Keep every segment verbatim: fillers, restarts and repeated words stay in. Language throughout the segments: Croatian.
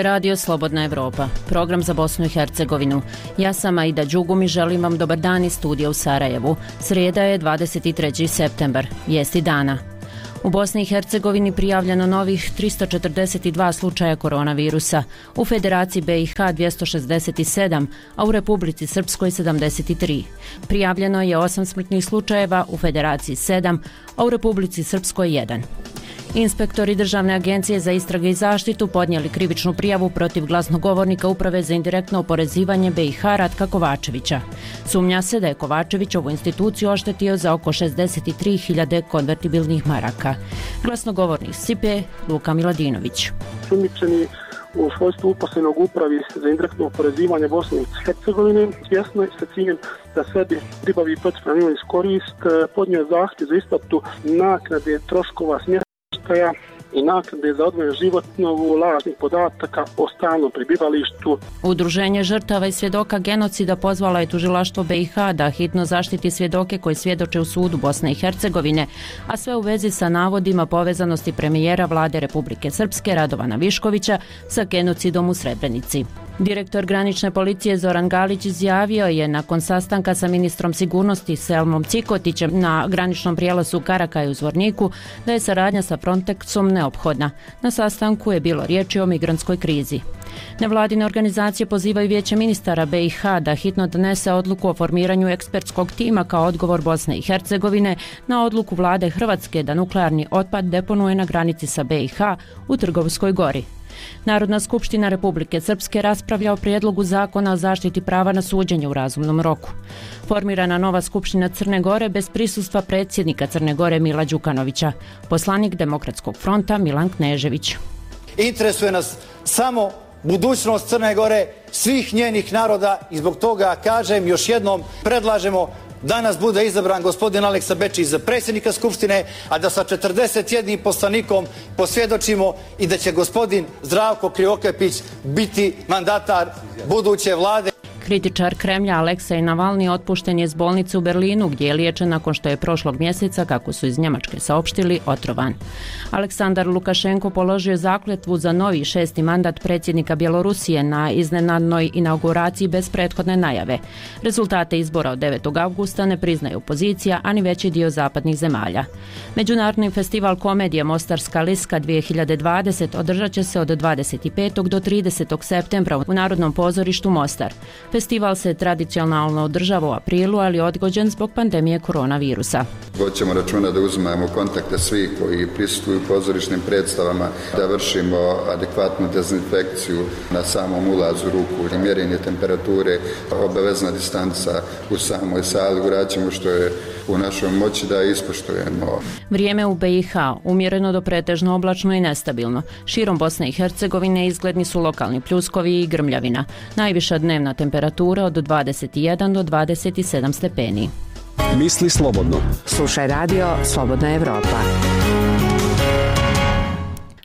radio Slobodna Evropa, program za Bosnu i Hercegovinu. Ja sam Aida Đugum i želim vam dobar dan iz studija u Sarajevu. Srijeda je dvadeset treći septembar, vijesti dana. U Bosni i Hercegovini prijavljeno novih tristo četrdeset dva slučaja koronavirusa, u Federaciji B i H dvjesto šezdeset sedam, a u Republici Srpskoj sedamdeset tri. Prijavljeno je osam smrtnih slučajeva, u Federaciji sedam, a u Republici Srpskoj jedan. Inspektori Državne agencije za istrage i zaštitu podnijeli krivičnu prijavu protiv glasnogovornika Uprave za indirektno oporezivanje B i H Ratka Kovačevića. Sumnja se da je Kovačević ovu instituciju oštetio za oko šezdeset tri hiljade konvertibilnih maraka. Glasnogovornik S I P E Luka Miladinović. Sumnjičeni u svojstvu uposlenog Upravi za indirektno oporezivanje Bosne i Hercegovine, svjesno je sa ciljem da sebi pribavi protivpravnu imovinsku korist, podnio zahtjev za isplatu naknade troškova smještaja i naknade za odvojen život na osnovu lažnih podataka o stalnom prebivalištu. Udruženje žrtava i svjedoka genocida pozvala je tužilaštvo B i H da hitno zaštiti svjedoke koji svjedoče u sudu Bosne i Hercegovine, a sve u vezi sa navodima povezanosti premijera vlade Republike Srpske Radovana Viškovića sa genocidom u Srebrenici. Direktor granične policije Zoran Galić izjavio je nakon sastanka sa ministrom sigurnosti Selmom Cikotićem na graničnom prijelazu Karakaj u Zvorniku da je saradnja sa Frontexom neophodna. Na sastanku je bilo riječi o migrantskoj krizi. Nevladine organizacije pozivaju Vijeće ministara B i H da hitno donese odluku o formiranju ekspertskog tima kao odgovor Bosne i Hercegovine na odluku vlade Hrvatske da nuklearni otpad deponuje na granici sa B i H u Trgovskoj gori. Narodna skupština Republike Srpske raspravlja o prijedlogu zakona o zaštiti prava na suđenje u razumnom roku. Formirana nova skupština Crne Gore bez prisustva predsjednika Crne Gore Mila Đukanovića. Poslanik Demokratskog fronta Milan Knežević. Interesuje nas samo budućnost Crne Gore, svih njenih naroda i zbog toga kažem još jednom predlažemo danas bude izabran gospodin Aleksa Bečić za predsjednika Skupštine, a da sa četrdeset jednim poslanikom posvjedočimo i da će gospodin Zdravko Krivokapić biti mandatar buduće vlade. Kritičar Kremlja Aleksej Navalni otpušten je iz bolnice u Berlinu gdje je liječen nakon što je prošlog mjeseca, kako su iz Njemačke saopštili, otrovan. Aleksandar Lukašenko položio zakletvu za novi šesti mandat predsjednika Bjelorusije na iznenadnoj inauguraciji bez prethodne najave. Rezultate izbora od devetog avgusta ne priznaje opozicija, a ni veći dio zapadnih zemalja. Međunarodni festival komedije Mostarska liska dvije hiljade dvadeset održat će se od dvadeset petog do tridesetog septembra u Narodnom pozorištu Mostar. Festival se tradicionalno održava u aprilu, ali odgođen zbog pandemije koronavirusa. Hoćemo računa da uzmemo kontakte svih koji prisustvuju pozorišnim predstavama, da vršimo adekvatnu dezinfekciju na samom ulazu ruku, mjerenje temperature, obavezna distanca u samoj sali, uraćemo što je u našoj moći da ispoštujemo. Vrijeme u B i H umjereno do pretežno oblačno i nestabilno. Širom Bosne i Hercegovine izgledni su lokalni pljuskovi i grmljavina. Najviša dnevna temperatura od dvadeset jedan do dvadeset sedam stepeni. Misli slobodno. Slušaj radio Slobodna Evropa.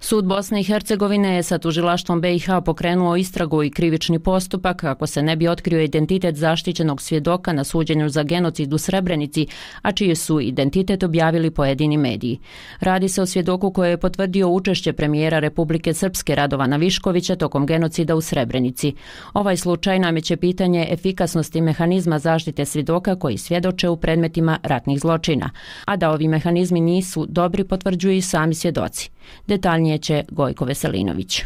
Sud Bosne i Hercegovine je sa tužilaštvom B i H pokrenuo istragu i krivični postupak kako se ne bi otkrio identitet zaštićenog svjedoka na suđenju za genocid u Srebrenici, a čiji su identitet objavili pojedini mediji. Radi se o svjedoku koji je potvrdio učešće premijera Republike Srpske Radovana Viškovića tokom genocida u Srebrenici. Ovaj slučaj nameće pitanje efikasnosti mehanizma zaštite svjedoka koji svjedoče u predmetima ratnih zločina, a da ovi mehanizmi nisu dobri potvrđuju i sami svjedoci. Detaljnije će Gojko Veselinović.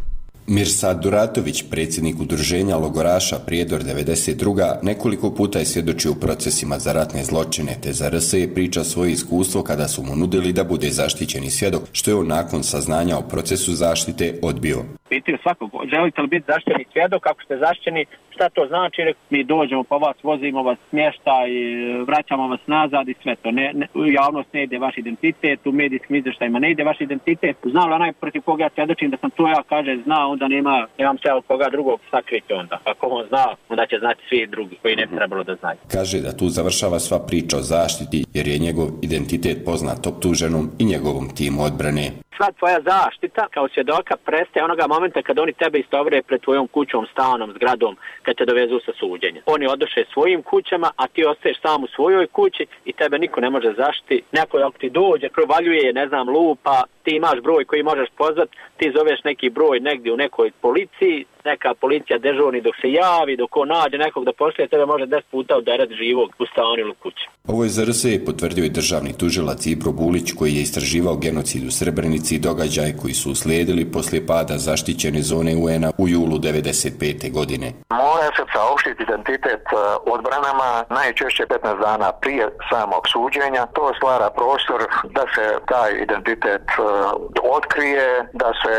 Mirsad Duratović, predsjednik udruženja logoraša Prijedor devedeset druga, nekoliko puta je svjedočio u procesima za ratne zločine, te za R S je priča svoje iskustvo kada su mu nudili da bude zaštićeni svjedok, što je on nakon saznanja o procesu zaštite odbio. Pitaju svakog, želite li biti zaštićeni svjedok, ako ste zaštićeni, šta to znači? Mi dođemo po vas, vozimo vas smještaj, vraćamo vas nazad i sve to. Ne, ne, u javnost ne ide vaš identitet, u medijskim izvještajima ne ide vaš identitet. Znao li onaj protiv koga ja svjedočim da sam to ja, kaže, zna, onda nema, nemam se od koga drugog sakriti onda. Ako on zna, onda će znati svi drugi koji ne bi trebalo da znaju. Kaže da tu završava sva priča o zaštiti jer je njegov identitet poznat optuženom i njegovom timu odbrane. Sva tvoja zaštita kao svjedoka prestaje onoga momenta kad oni tebe istovre pred tvojom kućom, stanom, zgradom, kad te dovezu sa suđenja. Oni odoše svojim kućama, a ti ostaješ sam u svojoj kući i tebe niko ne može zaštiti. Neko ako ti dođe, provaljuje, ne znam, lupa, ti imaš broj koji možeš pozvati, ti zoveš neki broj negdje u nekoj policiji, neka policija dežurni dok se javi, dok on nađe nekog da pošalje, tebe može deset puta udarati živog u stanu ili kući. Ovo je za R S E potvrdio i državni tužilac Ibro Bulić, koji je istraživao genocid u Srebrenici i događaje koji su uslijedili poslije pada zaštićene zone U N-a u julu devedeset pete godine. Mora se saopštiti identitet odbranama najčešće petnaest dana prije samog suđenja. To stvara prostor da se taj identitet otkrije, da se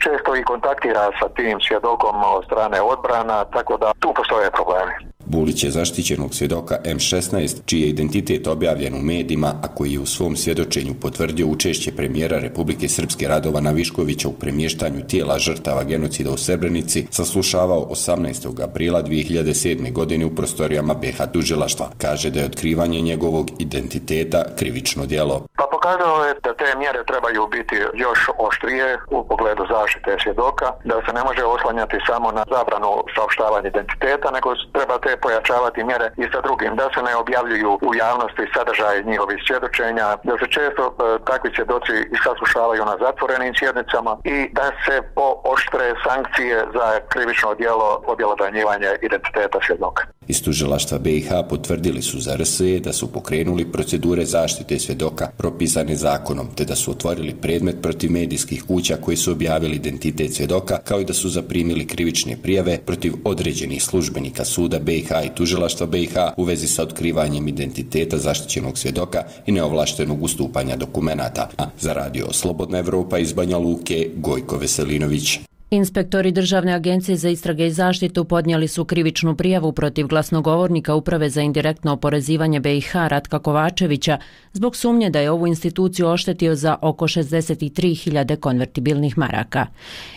često i kontaktira sa tim svjedokom od strane odbrana, tako da tu postoje problemi. Bulić je zaštićenog svjedoka M šesnaest, čiji je identitet objavljen u medijima, a koji je u svom svjedočenju potvrdio učešće premijera Republike Srpske Radovana Viškovića u premještanju tijela žrtava genocida u Srebrenici, saslušavao osamnaestog aprila dvije hiljade sedme. godine u prostorijama B H tužilaštva. Kaže da je otkrivanje njegovog identiteta krivično djelo. Pa pokazalo je da te mjere trebaju biti još oštrije u pogledu zaštite svjedoka, da se ne može oslanjati samo na zabranu saopštavanja identiteta, nego treba te pojačavati mjere i sa drugim, da se ne objavljuju u javnosti sadržaj njihovih svjedočenja, da se često e, takvi svjedoci saslušavaju na zatvorenim sjednicama i da se pooštre sankcije za krivično djelo objelodanjivanje identiteta svjedoka. Iz tužilaštva B i H potvrdili su za R S E da su pokrenuli procedure zaštite svjedoka propisane zakonom, te da su otvorili predmet protiv medijskih kuća koji su objavili identitet svjedoka, kao i da su zaprimili krivične prijave protiv određenih službenika suda B i H i tužilaštva B i H u vezi sa otkrivanjem identiteta zaštićenog svjedoka i neovlaštenog ustupanja dokumenata. A za radio Slobodna Evropa iz Banja Luke, Gojko Veselinović. Inspektori Državne agencije za istrage i zaštitu podnijeli su krivičnu prijavu protiv glasnogovornika Uprave za indirektno oporezivanje B i H Ratka Kovačevića zbog sumnje da je ovu instituciju oštetio za oko šezdeset tri hiljade konvertibilnih maraka.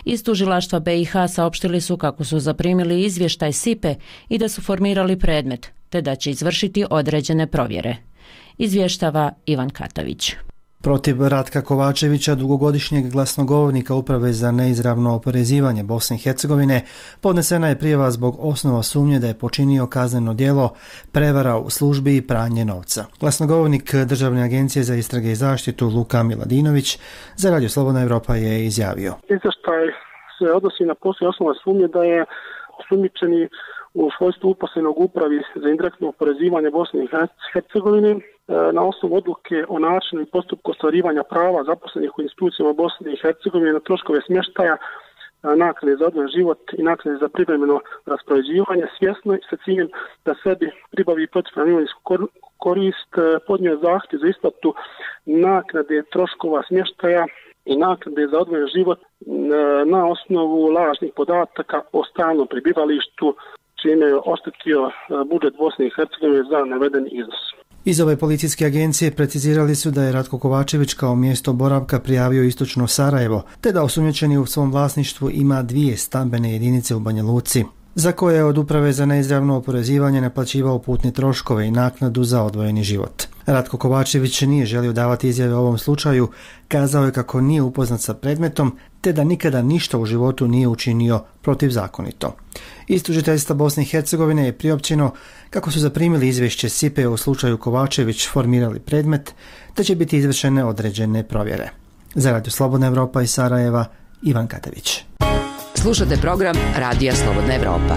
Iz tužilaštva B i H saopštili su kako su zaprimili izvještaj S I P E i da su formirali predmet, te da će izvršiti određene provjere. Izvještava Ivan Katović. Protiv Ratka Kovačevića, dugogodišnjeg glasnogovornika Uprave za neizravno oporezivanje Bosne i Hercegovine, podnesena je prijava zbog osnova sumnje da je počinio kazneno djelo prevara u službi i pranje novca. Glasnogovornik Državne agencije za istrage i zaštitu Luka Miladinović za Radio Slobodna Evropa je izjavio. Izvještaj se odnosi na poslije osnova sumnje da je osumnjičeni u svojstvu uposlenog Upravi za indirektno oporezivanje Bosne i Hercegovine na osnovu odluke o načinu i postupku ostvarivanja prava zaposlenih u institucijama Bosne i Hercegovine na troškove smještaja, naknade za odvojen život i naknade za privremeno raspoređivanje, svjesno i sa ciljem da sebi pribavi protivpravnu imovinsku korist, podnio zahtjev za isplatu naknade troškova smještaja i naknade za odvojen život na osnovu lažnih podataka o stalnom prebivalištu, čime je oštetio budžet Bosne i Hercegovine za naveden iznos. Iz ove policijske agencije precizirali su da je Ratko Kovačević kao mjesto boravka prijavio istočno Sarajevo, te da osumnjičeni u svom vlasništvu ima dvije stambene jedinice u Banja Luci, za koje je od Uprave za neizravno oporezivanje naplaćivao putne troškove i naknadu za odvojeni život. Ratko Kovačević nije želio davati izjave o ovom slučaju, kazao je kako nije upoznat sa predmetom, te da nikada ništa u životu nije učinio protivzakonito. Iz tužiteljstva Bosne i Hercegovine je priopćeno kako su zaprimili izvješće S I P E u slučaju Kovačević, formirali predmet, te će biti izvršene određene provjere. Za Radio Slobodna Evropa iz Sarajeva, Ivan Katavić. Slušate program Radija Slobodna Evropa.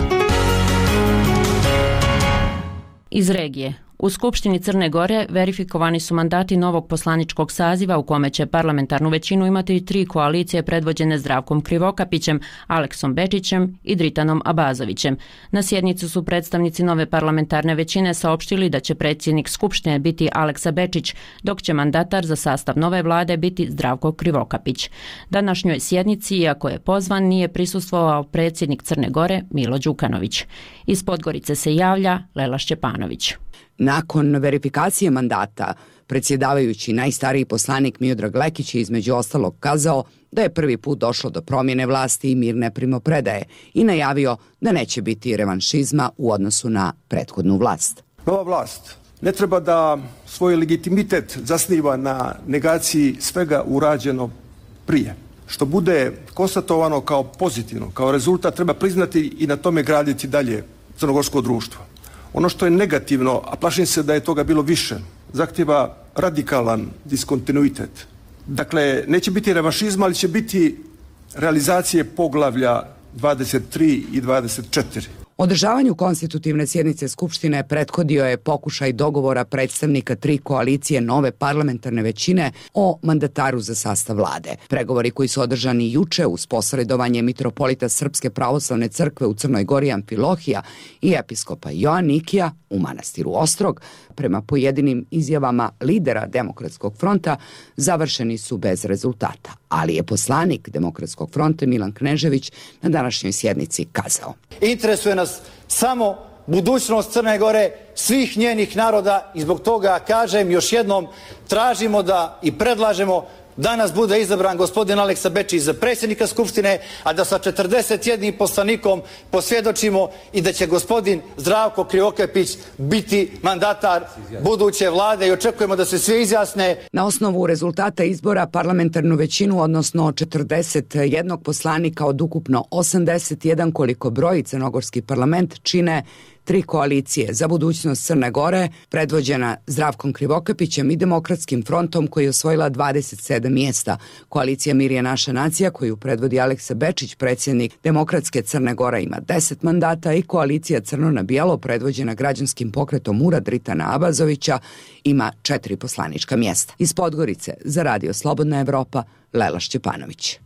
Iz regije. U Skupštini Crne Gore verifikovani su mandati novog poslaničkog saziva u kome će parlamentarnu većinu imati tri koalicije predvođene Zdravkom Krivokapićem, Aleksom Bečićem i Dritanom Abazovićem. Na sjednicu su predstavnici nove parlamentarne većine saopštili da će predsjednik Skupštine biti Aleksa Bečić, dok će mandatar za sastav nove vlade biti Zdravko Krivokapić. Današnjoj sjednici, iako je pozvan, nije prisustvovao predsjednik Crne Gore Milo Đukanović. Iz Podgorice se javlja Lela Šćepanović. Nakon verifikacije mandata, predsjedavajući najstariji poslanik Miodrag Lekić je između ostalog kazao da je prvi put došlo do promjene vlasti i mirne primopredaje i najavio da neće biti revanšizma u odnosu na prethodnu vlast. Nova vlast ne treba da svoj legitimitet zasniva na negaciji svega urađeno prije. Što bude konstatovano kao pozitivno, kao rezultat, treba priznati i na tome graditi dalje crnogorsko društvo. Ono što je negativno, a plašim se da je toga bilo više, zahtjeva radikalan diskontinuitet. Dakle, neće biti revanšizma, ali će biti realizacije poglavlja dvadeset tri i dvadeset četiri. Održavanju konstitutivne sjednice Skupštine prethodio je pokušaj dogovora predstavnika tri koalicije nove parlamentarne većine o mandataru za sastav vlade. Pregovori koji su održani juče uz posredovanje mitropolita Srpske pravoslavne crkve u Crnoj Gori Amfilohija i episkopa Joanikija u manastiru Ostrog, prema pojedinim izjavama lidera Demokratskog fronta, završeni su bez rezultata. Ali je poslanik Demokratskog fronta Milan Knežević na današnjoj sjednici kazao: Interesuje nas samo budućnost Crne Gore, svih njenih naroda i zbog toga kažem još jednom, tražimo da i predlažemo danas bude izabran gospodin Aleksa Bečić za predsjednika Skupštine, a da sa četrdeset jednim poslanikom posvjedočimo i da će gospodin Zdravko Krivokapić biti mandatar buduće vlade i očekujemo da se svi izjasne. Na osnovu rezultata izbora parlamentarnu većinu, odnosno četrdeset jedan poslanika od ukupno osamdeset jedan koliko broji crnogorski parlament, čine tri koalicije za budućnost Crne Gore, predvođena Zdravkom Krivokapićem i Demokratskim frontom koji je osvojila dvadeset sedam mjesta. Koalicija Mir je naša nacija koju predvodi Aleksa Bečić, predsjednik Demokratske Crne Gore, ima deset mandata i koalicija Crno na bijelo predvođena građanskim pokretom Ura Dritana Abazovića ima četiri poslanička mjesta. Iz Podgorice za Radio Slobodna Evropa, Lela Šćepanović.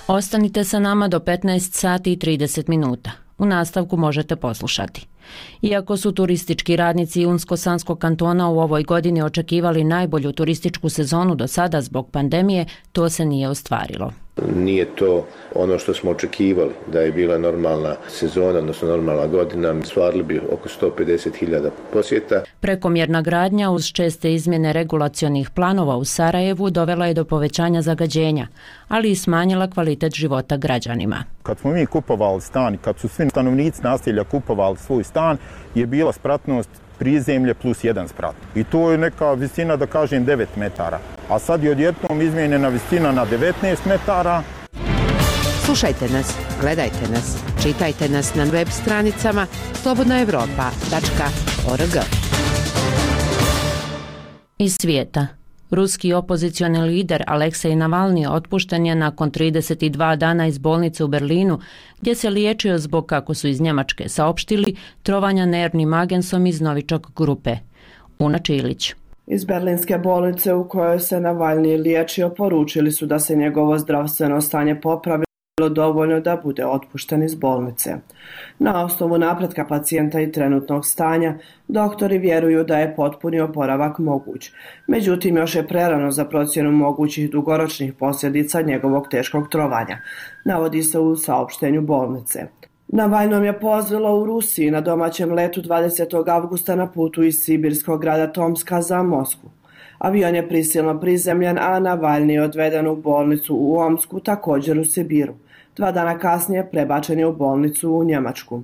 Ostanite sa nama do petnaest sati i trideset minuta. U nastavku možete poslušati. Iako su turistički radnici Unsko-Sanskog kantona u ovoj godini očekivali najbolju turističku sezonu do sada zbog pandemije, to se nije ostvarilo. Nije to ono što smo očekivali, da je bila normalna sezona, odnosno normalna godina, stvarili bi oko sto pedeset hiljada posjeta. Prekomjerna gradnja uz česte izmjene regulacionih planova u Sarajevu dovela je do povećanja zagađenja, ali i smanjila kvalitet života građanima. Kad smo mi kupovali stan, kad su svi stanovnici naselja kupovali svoj stan, je bila spratnost prizemlje plus jedan sprat. I to je neka visina, da kažem, devet metara. A sad je odjednom izmijenjena visina na devetnaest metara. Slušajte nas, gledajte nas, čitajte nas na web stranicama slobodna evropa tačka org. Iz svijeta. Ruski opozicioni lider Aleksej Navalni otpušten je nakon trideset dva dana iz bolnice u Berlinu, gdje se liječio zbog, kako su iz Njemačke saopštili, trovanja nervnim agensom iz Novičok grupe. Una Čilić. Iz berlinske bolnice u kojoj se Navalni liječio poručili su da se njegovo zdravstveno stanje popravilo dovoljno da bude otpušten iz bolnice. Na osnovu napretka pacijenta i trenutnog stanja, doktori vjeruju da je potpuni oporavak moguć. Međutim, još je prerano za procjenu mogućih dugoročnih posljedica njegovog teškog trovanja, navodi se u saopštenju bolnice. Navalnom je pozvilo u Rusiji na domaćem letu dvadesetog avgusta na putu iz sibirskog grada Tomska za Moskvu. Avion je prisilno prizemljen, a Navalni je odveden u bolnicu u Omsku, također u Sibiru. Dva dana kasnije prebačen je u bolnicu u Njemačku.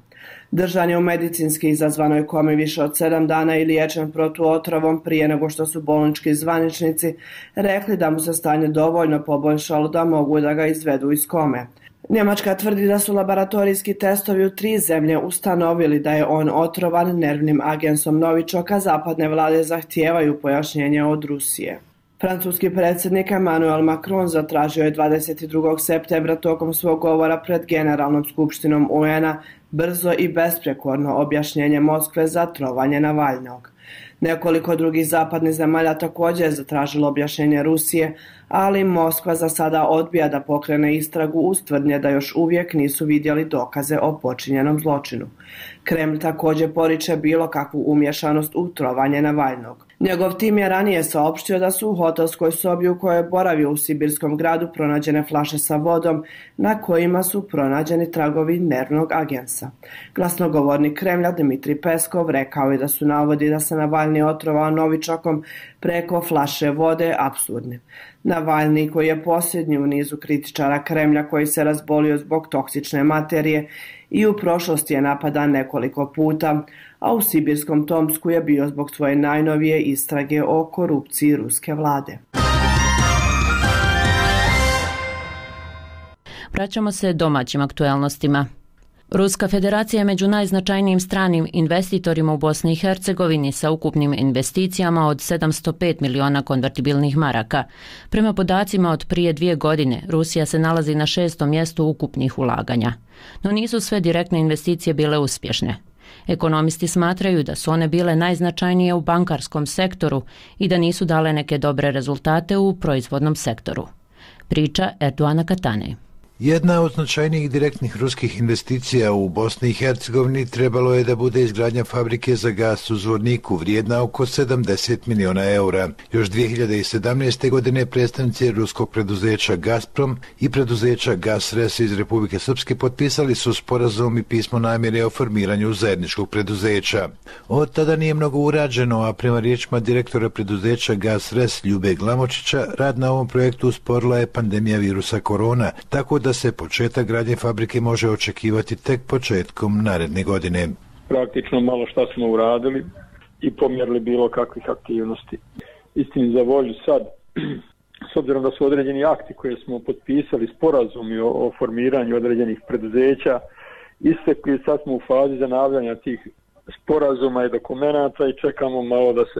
Držan je u medicinski izazvanoj komi više od sedam dana i liječen protuotrovom prije nego što su bolnički zvaničnici rekli da mu se stanje dovoljno poboljšalo da mogu da ga izvedu iz kome. Njemačka tvrdi da su laboratorijski testovi u tri zemlje ustanovili da je on otrovan nervnim agensom Novičok, a zapadne vlade zahtijevaju pojašnjenje od Rusije. Francuski predsjednik Emmanuel Macron zatražio je dvadeset drugog septembra tokom svog govora pred Generalnom skupštinom U N A brzo i besprekorno objašnjenje Moskve za trovanje Navalnog. Nekoliko drugih zapadnih zemalja također je zatražilo objašnjenje Rusije, ali Moskva za sada odbija da pokrene istragu uz tvrdnje da još uvijek nisu vidjeli dokaze o počinjenom zločinu. Kreml također poriče bilo kakvu umješanost u trovanje Navalnog. Njegov tim je ranije saopštio da su u hotelskoj sobi u kojoj je boravio u sibirskom gradu pronađene flaše sa vodom na kojima su pronađeni tragovi nervnog agensa. Glasnogovornik Kremlja Dmitrij Peskov rekao je da su navodi da se Navalni otrovao Novičokom preko flaše vode apsurdni. Navalni, koji je posljednji u nizu kritičara Kremlja koji se razbolio zbog toksične materije i u prošlosti je napadan nekoliko puta, a u sibirskom Tomsku je bio zbog svoje najnovije istrage o korupciji ruske vlade. Vraćamo se domaćim aktuelnostima. Ruska federacija je među najznačajnijim stranim investitorima u Bosni i Hercegovini sa ukupnim investicijama od sedamsto pet miliona konvertibilnih maraka. Prema podacima od prije dvije godine, Rusija se nalazi na šestom mjestu ukupnih ulaganja. No nisu sve direktne investicije bile uspješne. Ekonomisti smatraju da su one bile najznačajnije u bankarskom sektoru i da nisu dale neke dobre rezultate u proizvodnom sektoru. Priča Erdoana Katane. Jedna od značajnijih direktnih ruskih investicija u Bosni i Hercegovini trebalo je da bude izgradnja fabrike za gas u Zvorniku, vrijedna oko sedamdeset miliona eura. Još dvije hiljade sedamnaeste. godine predstavnici ruskog preduzeća Gazprom i preduzeća Gasres iz Republike Srpske potpisali su sporazum i pismo namjere o formiranju zajedničkog preduzeća. Od tada nije mnogo urađeno, a prema riječima direktora preduzeća Gasres Ljube Glamočića, rad na ovom projektu usporila je pandemija virusa korona, tako da da se početak gradnje fabrike može očekivati tek početkom naredne godine. Praktično malo šta smo uradili i pomjerili bilo kakvih aktivnosti. Istini za volju sad, s obzirom da su određeni akti koje smo potpisali, sporazumi o, o formiranju određenih preduzeća, istekli, sad smo u fazi zanavljanja tih sporazuma i dokumenata i čekamo malo da se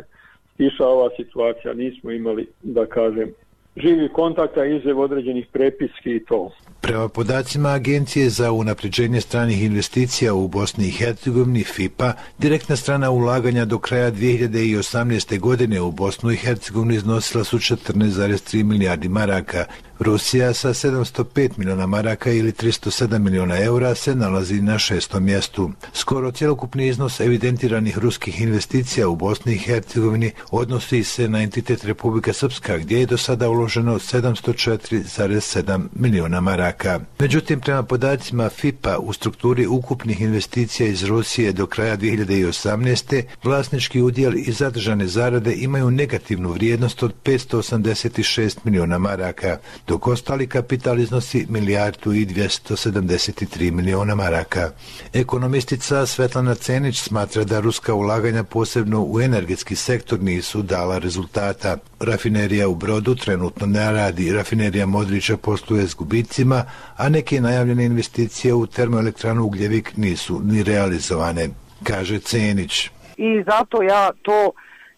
stiša ova situacija. Nismo imali, da kažem, živi kontakta, izjev određenih prepiski i to. Prema podacima Agencije za unapređenje stranih investicija u Bosni i Hercegovini F I P A, direktna strana ulaganja do kraja dvije hiljade osamnaeste. godine u Bosnu i Hercegovini iznosila su četrnaest zarez tri milijardi maraka. Rusija sa sedamsto pet miliona maraka ili tristo sedam miliona eura se nalazi na šestom mjestu. Skoro cjelokupni iznos evidentiranih ruskih investicija u Bosni i Hercegovini odnosi se na entitet Republika Srpska, gdje je do sada uloženo sedamsto četiri zarez sedam miliona maraka. Međutim, prema podacima F I P A, u strukturi ukupnih investicija iz Rusije do kraja dvije hiljade osamnaeste. vlasnički udjel i zadržane zarade imaju negativnu vrijednost od petsto osamdeset šest miliona maraka, dok ostali kapital iznosi milijardu i dvjesto sedamdeset tri miliona maraka. Ekonomistica Svetlana Cenić smatra da ruska ulaganja posebno u energetski sektor nisu dala rezultata. Rafinerija u Brodu trenutno ne radi, rafinerija Modrića posluje s gubicima, a neke najavljene investicije u termoelektranu Ugljevik nisu ni realizovane, kaže Cenić. I zato ja to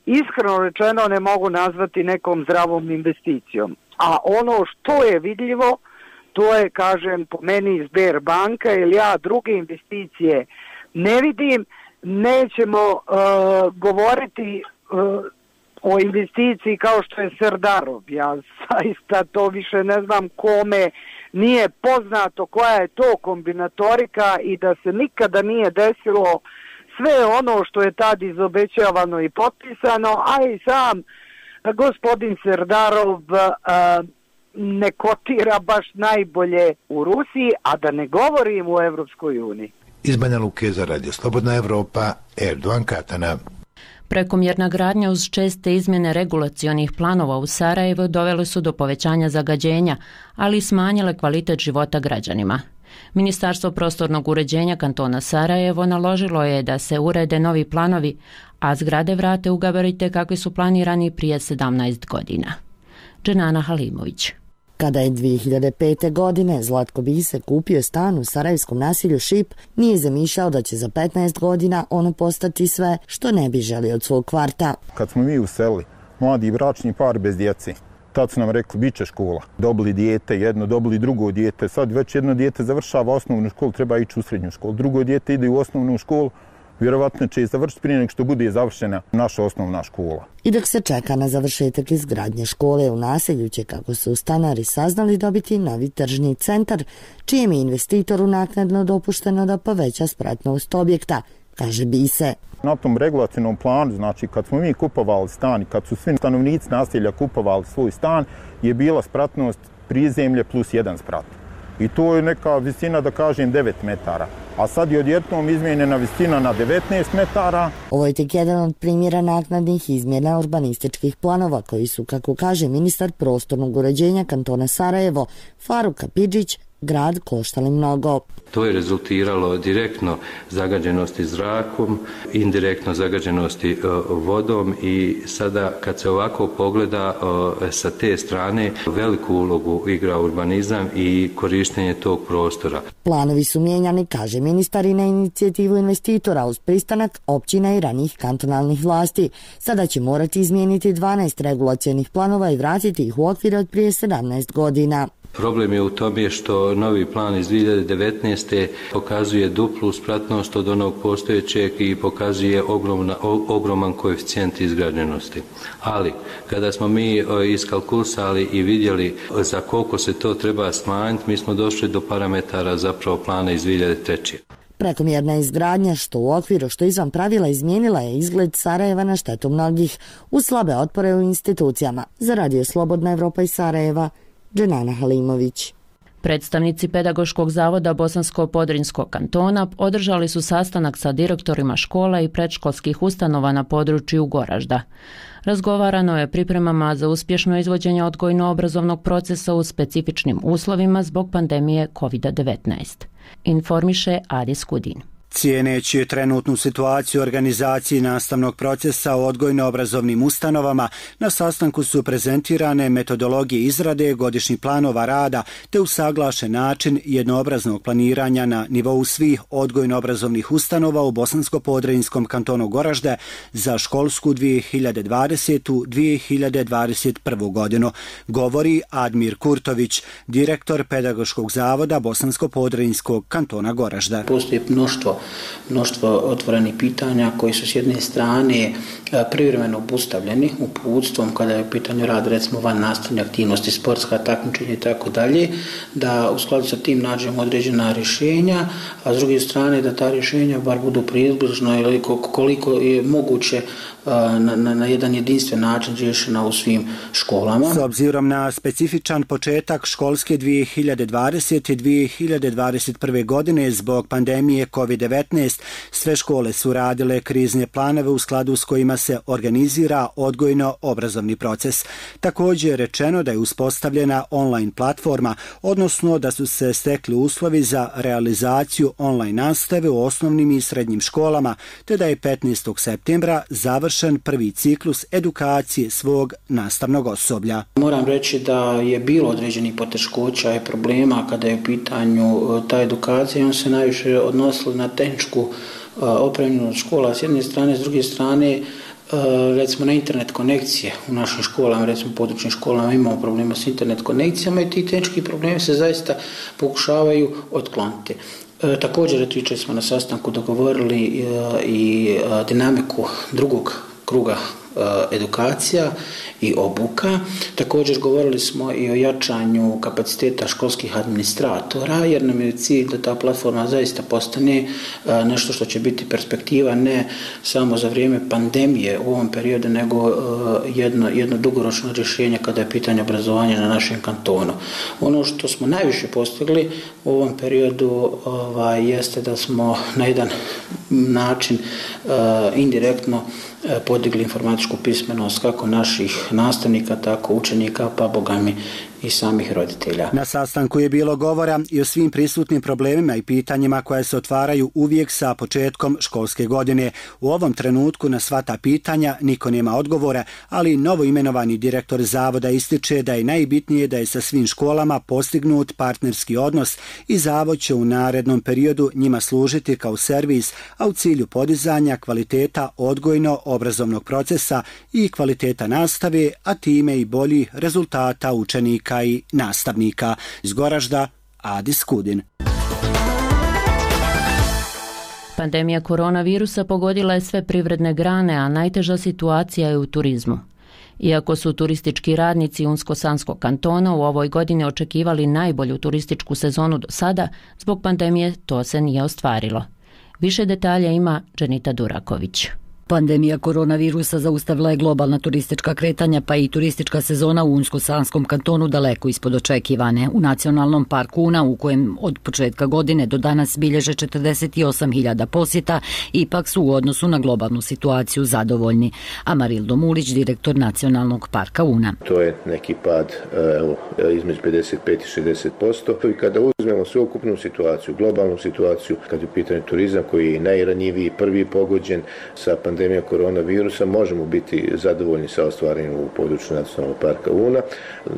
iskreno rečeno ne mogu nazvati nekom zdravom investicijom. A ono što je vidljivo, to je, kažem, po meni Sberbanka, jer ja druge investicije ne vidim. Nećemo uh, govoriti uh, o investiciji kao što je Serdarov. Ja zaista to više ne znam kome nije poznato koja je to kombinatorika i da se nikada nije desilo sve ono što je tad izobećavano i potpisano, a i sam gospodin Serdarov uh, ne kotira baš najbolje u Rusiji, a da ne govorim u Evropskoj uniji. Iz Banja Luke za Radio Slobodna Evropa, Erdoan Katana. Prekomjerna gradnja uz česte izmjene regulacionih planova u Sarajevu dovele su do povećanja zagađenja, ali i smanjile kvalitet života građanima. Ministarstvo prostornog uređenja kantona Sarajevo naložilo je da se urede novi planovi, a zgrade vrate u gabarite kakvi su planirani prije sedamnaest godina. Dženana Halimović. Kada je dvije hiljade pete. godine Zlatko Bise kupio stan u sarajevskom naselju Šip, nije zamišljao da će za petnaest godina ono postati sve što ne bi želio od svog kvarta. Kad smo mi uselili, mladi bračni par bez djece, tad su nam rekli bit će škola. Dobili dijete jedno, dobili drugo dijete, sad već jedno dijete završava osnovnu školu, treba ići u srednju školu. Drugo dijete ide u osnovnu školu, vjerovatno će i završiti prije nego što bude završena naša osnovna škola. I dok se čeka na završetak izgradnje škole u naselju će, kako su stanari saznali, dobiti novi tržni centar, čijem je investitoru naknadno dopušteno da poveća spratnost objekta, kaže Bise. Na tom regulacijnom planu, znači kad smo mi kupovali stan i kad su svi stanovnici naselja kupovali svoj stan, je bila spratnost prizemlje plus jedan sprat. I to je neka visina, da kažem, devet metara. A sad je odjednom izmijenjena visina na devetnaest metara. Ovo je tek jedan od primjera naknadnih izmjena urbanističkih planova koji su, kako kaže ministar prostornog uređenja kantona Sarajevo, Faruk Kapidžić, grad koštali mnogo. To je rezultiralo direktno zagađenosti zrakom, indirektno zagađenosti vodom i sada kad se ovako pogleda sa te strane veliku ulogu igra urbanizam i korištenje tog prostora. Planovi su mijenjani, kaže ministar, i na inicijativu investitora uz pristanak općina i ranijih kantonalnih vlasti. Sada će morati izmijeniti dvanaest regulacionih planova i vratiti ih u okvire od prije sedamnaest godina. Problem je u tome što novi plan iz dvije hiljade devetnaeste. pokazuje duplu spratnost od onog postojećeg i pokazuje ogromna, ogroman koeficijent izgrađenosti. Ali, kada smo mi iskalkulisali i vidjeli za koliko se to treba smanjiti, mi smo došli do parametara zapravo plana iz dvije hiljade treće. Prekomjerna izgradnja, što u okviru, što izvan pravila, izmijenila je izgled Sarajeva na štetu mnogih, uz slabe otpore u institucijama. Za Radio Slobodna Evropa iz Sarajeva, Dženana Halimović. Predstavnici Pedagoškog zavoda Bosansko-Podrinjskog kantona održali su sastanak sa direktorima škola i predškolskih ustanova na području Goražda. Razgovarano je pripremama za uspješno izvođenje odgojno-obrazovnog procesa u specifičnim uslovima zbog pandemije kovid devetnaest. Informiše Adis Kudin. Cijeneći trenutnu situaciju organizaciji nastavnog procesa u odgojno-obrazovnim ustanovama, na sastanku su prezentirane metodologije izrade godišnjih planova rada te usaglašen način jednoobraznog planiranja na nivou svih odgojno-obrazovnih ustanova u Bosansko-Podrinjskom kantonu Goražde za školsku dvije hiljade dvadesete – dvije hiljade dvadeset prve. godinu, govori Admir Kurtović, direktor Pedagoškog zavoda Bosansko-Podrinjskog kantona Goražda. Postoji mnoštvo mnoštvo otvorenih pitanja koji su s jedne strane privremeno obustavljeni uputstvom kada je u pitanju rad recimo van nastavne aktivnosti, sportska takmičenja i tako dalje, da u skladu sa tim nađemo određena rješenja, a s druge strane da ta rješenja bar budu približno ili koliko je moguće na, na, na jedan jedinstven način riješena u svim školama. S obzirom na specifičan početak školske dvije hiljade dvadesete – dvije hiljade dvadeset prve. godine zbog pandemije kovid devetnaest, sve škole su radile krizne planove u skladu s kojima se organizira odgojno-obrazovni proces. Također je rečeno da je uspostavljena online platforma, odnosno da su se stekli uslovi za realizaciju online nastave u osnovnim i srednjim školama, te da je petnaestog septembra završen prvi ciklus edukacije svog nastavnog osoblja. Moram reći da je bilo određenih poteškoća i problema kada je u pitanju ta edukacija, on se najviše odnosilo na tehničku opremljenost škola s jedne strane, s druge strane recimo na internet konekcije u našim školama, recimo područnim školama imamo problema s internet konekcijama i ti tehnički problemi se zaista pokušavaju otkloniti. E, također, jučer smo na sastanku dogovorili e, i e, dinamiku drugog kruga edukacija i obuka. Također govorili smo i o jačanju kapaciteta školskih administratora, jer nam je cilj da ta platforma zaista postane nešto što će biti perspektiva ne samo za vrijeme pandemije u ovom periodu, nego jedno, jedno dugoročno rješenje kada je pitanje obrazovanja na našem kantonu. Ono što smo najviše postigli u ovom periodu ovaj, jeste da smo na jedan način indirektno podigli informatičku pismenost kako naših nastavnika, tako učenika, pa bogami i samih roditelja. Na sastanku je bilo govora i o svim prisutnim problemima i pitanjima koje se otvaraju uvijek sa početkom školske godine. U ovom trenutku na sva ta pitanja niko nema odgovora, ali novo imenovani direktor zavoda ističe da je najbitnije da je sa svim školama postignut partnerski odnos i zavod će u narednom periodu njima služiti kao servis, a u cilju podizanja kvaliteta odgojno-obrazovnog procesa i kvaliteta nastave, a time i bolji rezultata učenika i nastavnika. Iz Goražda, Adis Kudin. Pandemija koronavirusa pogodila je sve privredne grane, a najteža situacija je u turizmu. Iako su turistički radnici Unsko-Sanskog kantona u ovoj godini očekivali najbolju turističku sezonu do sada, zbog pandemije to se nije ostvarilo. Više detalja ima Dženita Duraković. Pandemija koronavirusa zaustavila je globalna turistička kretanja, pa i turistička sezona u Unsko-Sanskom kantonu daleko ispod očekivane. U Nacionalnom parku Una, u kojem od početka godine do danas bilježe četrdeset osam hiljada posjeta, ipak su u odnosu na globalnu situaciju zadovoljni. Amarildo Mulić, direktor Nacionalnog parka Una. To je neki pad evo, između pedeset pet i šezdeset posto. I kada uzmemo sveukupnu situaciju, globalnu situaciju, kad je u pitanju turizam koji je najranjiviji, prvi pogođen sa pandemijom koronavirusa, možemo biti zadovoljni sa ostvarenim u području Nacionalnog parka Una.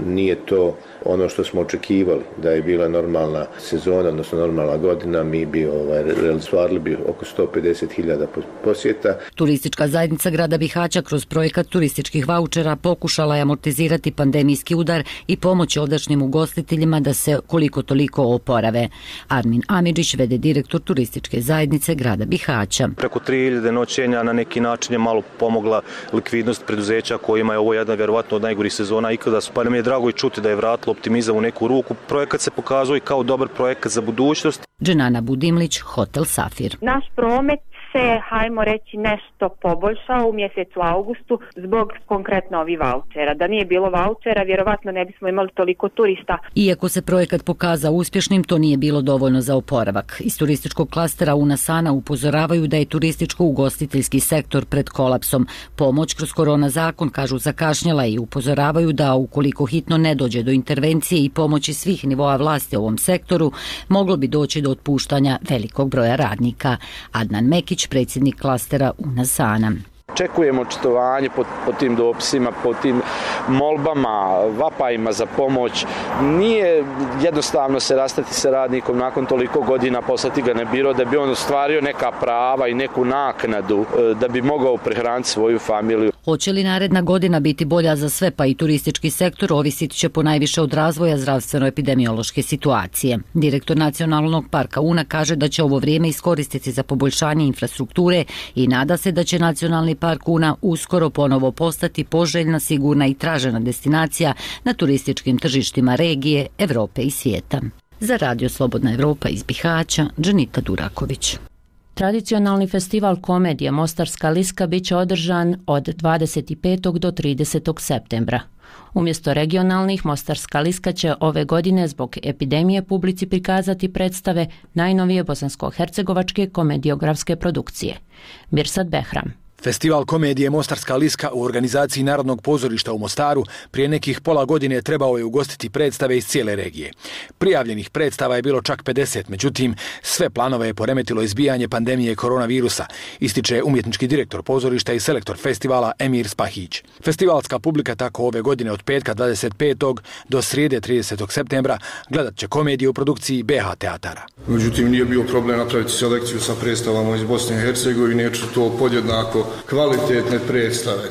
Nije to ono što smo očekivali, da je bila normalna sezona, odnosno normalna godina, mi bi ovaj, realizovali bi oko sto pedeset hiljada posjeta. Turistička zajednica grada Bihaća kroz projekat turističkih vaučera pokušala je amortizirati pandemijski udar i pomoći ovdašnjim ugostiteljima da se koliko toliko oporave. Armin Amidžić, vede direktor turističke zajednice grada Bihaća. Preko tri hiljade noćenja na neki način je malo pomogla likvidnost preduzeća kojima je ovo jedna vjerovatno od najgorih sezona ikada su, pa nam je drago i čuti da je vratilo optimizam u neku ruku. Projekat se pokazuje kao dobar projekat za budućnost. Dženana Budimlić, Hotel Safir. Naš promet se, hajmo reći, nešto poboljšao u mjesecu augustu zbog konkretno ovih vaučera. Da nije bilo vaučera, vjerovatno ne bismo imali toliko turista. Iako se projekat pokazao uspješnim, to nije bilo dovoljno za oporavak. Iz turističkog klastera Una Sana upozoravaju da je turističko-ugostiteljski sektor pred kolapsom. Pomoć kroz korona zakon, kažu, zakašnjela i upozoravaju da ukoliko hitno ne dođe do intervencije i pomoći svih nivoa vlasti u ovom sektoru, moglo bi doći do otpuštanja velikog broja radnika. Adnan Mekić, predsjednik klastera Una Sana. Očekujemo očitovanje po, po tim dopisima, po tim molbama, vapajima za pomoć. Nije jednostavno se rastati sa radnikom nakon toliko godina, poslati ga na biro da bi on ostvario neka prava i neku naknadu da bi mogao prehraniti svoju familiju. Hoće li naredna godina biti bolja za sve, pa i turistički sektor, ovisit će ponajviše od razvoja zdravstveno-epidemiološke situacije. Direktor Nacionalnog parka Una kaže da će ovo vrijeme iskoristiti za poboljšanje infrastrukture i nada se da će Nacionalni park Una uskoro ponovo postati poželjna, sigurna i tražena destinacija na turističkim tržištima regije, Evrope i svijeta. Za Radio Slobodna Evropa iz Bihaća, Dženita Duraković. Tradicionalni festival komedije Mostarska liska bit će održan od dvadeset petog do tridesetog septembra. Umjesto regionalnih, Mostarska liska će ove godine zbog epidemije publici prikazati predstave najnovije bosansko-hercegovačke komediografske produkcije. Mirsad Behram. Festival komedije Mostarska liska u organizaciji Narodnog pozorišta u Mostaru prije nekih pola godine trebao je ugostiti predstave iz cijele regije. Prijavljenih predstava je bilo čak pedeset, međutim sve planove je poremetilo izbijanje pandemije koronavirusa, ističe umjetnički direktor pozorišta i selektor festivala Emir Spahić. Festivalska publika tako ove godine od petka dvadeset petog do srijede tridesetog septembra gledat će komediju u produkciji B H teatara. Međutim, nije bio problem napraviti selekciju sa predstavama iz Bosne i Hercegovine, jer su to podjednako kvalitetne predstave.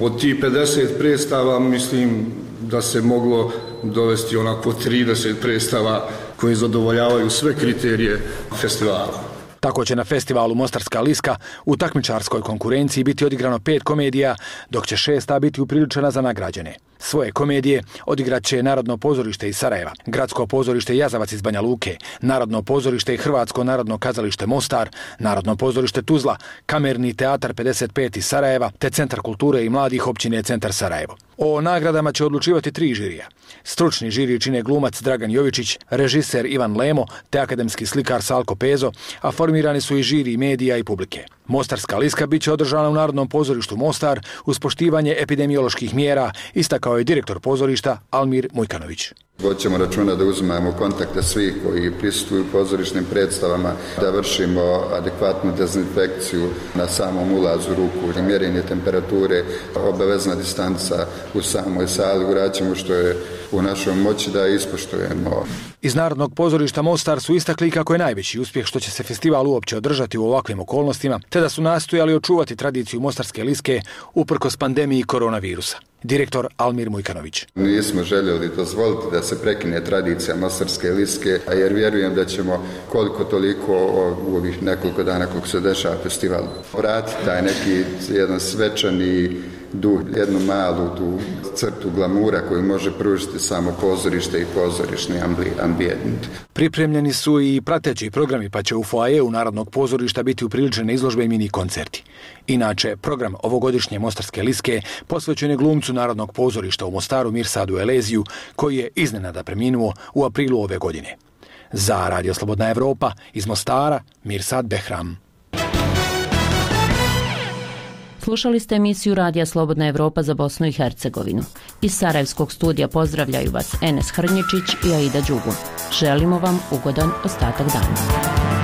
Od tih pedeset predstava mislim da se moglo dovesti onako trideset predstava koje zadovoljavaju sve kriterije festivala. Tako će na festivalu Mostarska liska u takmičarskoj konkurenciji biti odigrano pet komedija, dok će šesta biti upriličena za nagrađene. Svoje komedije odigrat će Narodno pozorište iz Sarajeva, Gradsko pozorište Jazavac iz Banja Luke, Narodno pozorište i Hrvatsko narodno kazalište Mostar, Narodno pozorište Tuzla, Kamerni teatar pedeset pet iz Sarajeva, te Centar kulture i mladih općine Centar Sarajevo. O nagradama će odlučivati tri žirija. Stručni žiri čine glumac Dragan Jovičić, režiser Ivan Lemo te akademski slikar Salko Pezo, a formirani su i žiri medija i publike. Mostarska liska bit će održana u Narodnom pozorištu Mostar uz poštivanje epidemioloških mjera, istakao je direktor pozorišta Almir Mujkanović. Hoćemo računa da uzimamo kontakte svih koji prisustvuju pozorišnim predstavama, da vršimo adekvatnu dezinfekciju na samom ulazu ruku, mjerenje temperature, obavezna distanca u samoj sali, uraćemo što je u našoj moći da ispoštujemo. Iz Narodnog pozorišta Mostar su istakli kako je najveći uspjeh što će se festival uopće održati u ovakvim okolnostima, te da su nastojali očuvati tradiciju Mostarske liske uprkos pandemiji koronavirusa. Direktor Almir Mujkanović. Nismo željeli dozvoliti da se prekine tradicija Mostarske liske, jer vjerujem da ćemo koliko toliko u ovih nekoliko dana kako se dešava festival vratiti taj neki jedan svečani duh, jednu malu tu crtu glamura koju može pružiti samo pozorište i pozorišni ambijent. Pripremljeni su i prateći programi, pa će u foajeu Narodnog pozorišta biti upriličene izložbe i mini koncerti. Inače, program ovogodišnje Mostarske liske posvećen je glumcu Narodnog pozorišta u Mostaru Mirsadu Eleziju, koji je iznenada preminuo u aprilu ove godine. Za Radio Slobodna Evropa iz Mostara, Mirsad Behram. Slušali ste emisiju Radija Slobodna Evropa za Bosnu i Hercegovinu. Iz Sarajevskog studija pozdravljaju vas Enes Hrnjičić i Aida Đugun. Želimo vam ugodan ostatak dana.